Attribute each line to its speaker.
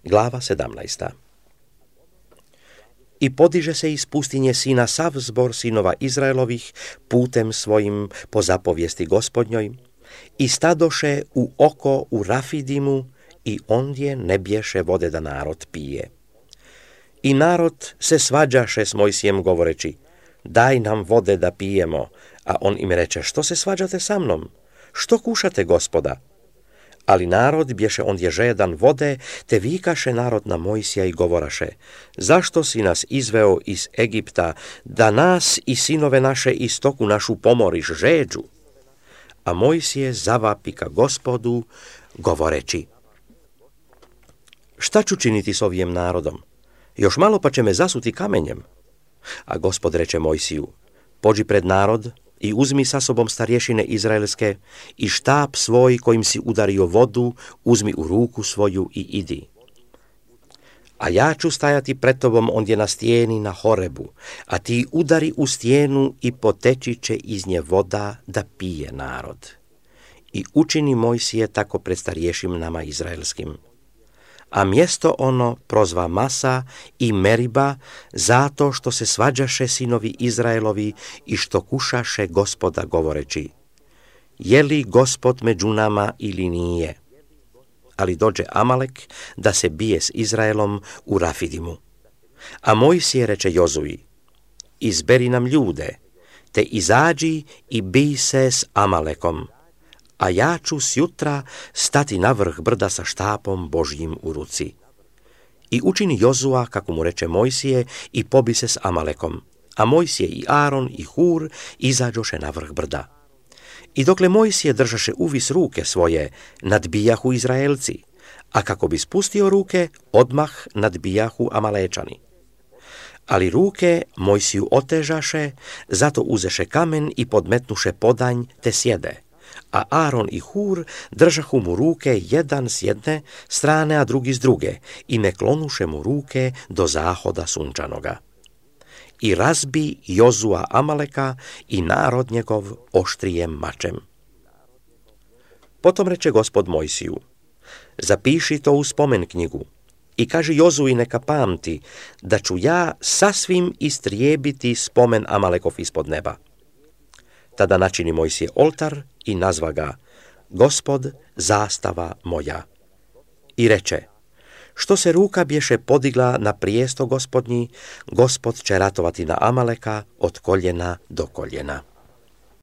Speaker 1: Glava 17. I podiže se iz pustinje sina sav zbor sinova Izraelovih putem svojim po zapovijesti Gospodnjoj i stadoše u oko u Rafidimu i ondje ne bješe vode da narod pije. I narod se svađaše s Mojsijem govoreći: daj nam vode da pijemo, a on im reče: što se svađate sa mnom? Što kušate Gospoda? Ali narod bješe ondje žedan vode, te vikaše narod na Mojsija i govoraše: zašto si nas izveo iz Egipta, da nas i sinove naše i stoku našu pomoriš žeđu? A Mojsije zavapi ka Gospodu, govoreći: šta ću činiti s ovim narodom? Još malo pa će me zasuti kamenjem. A Gospod reče Mojsiju: pođi pred narod i uzmi sa sobom starješine izraelske i štap svoj kojim si udario vodu, uzmi u ruku svoju i idi. A ja ću stajati pred tobom ondje na stijeni na Horebu, a ti udari u stijenu i poteći će iz nje voda da pije narod. I učini Mojsije tako pred starješinama izraelskim. A mjesto ono prozva Masa i Meriba, zato što se svađaše sinovi Izraelovi i što kušaše Gospoda govoreći: je li Gospod među nama ili nije? Ali dođe Amalek da se bije s Izraelom u Rafidimu. A Mojsije reče Jozuji: izberi nam ljude, te izađi i bij se s Amalekom, a ja ću sjutra stati na vrh brda sa štapom Božjim u ruci. I učini Jozua kako mu reče Mojsije i pobi se s Amalekom, a Mojsije i Aron i Hur izađoše na vrh brda. I dokle Mojsije držaše uvis ruke svoje, nadbijahu Izraelci, a kako bi spustio ruke, odmah nadbijahu Amalečani. Ali ruke Mojsiju otežaše, zato uzeše kamen i podmetnuše podanj te sjede. A Aron i Hur držahu mu ruke jedan s jedne strane, a drugi s druge, i ne klonuše mu ruke do zahoda sunčanoga. I razbi Jozua Amaleka i narod njegov oštrijem mačem. Potom reče Gospod Mojsiju: zapiši to u spomen knjigu i kaži Jozui neka pamti da ću ja sasvim istrijebiti spomen Amalekov ispod neba. Tada načini Mojsije oltar i nazva ga: Gospod, zastava moja. I reče: što se ruka bješe podigla na prijesto Gospodnji, Gospod će ratovati na Amaleka od koljena do koljena.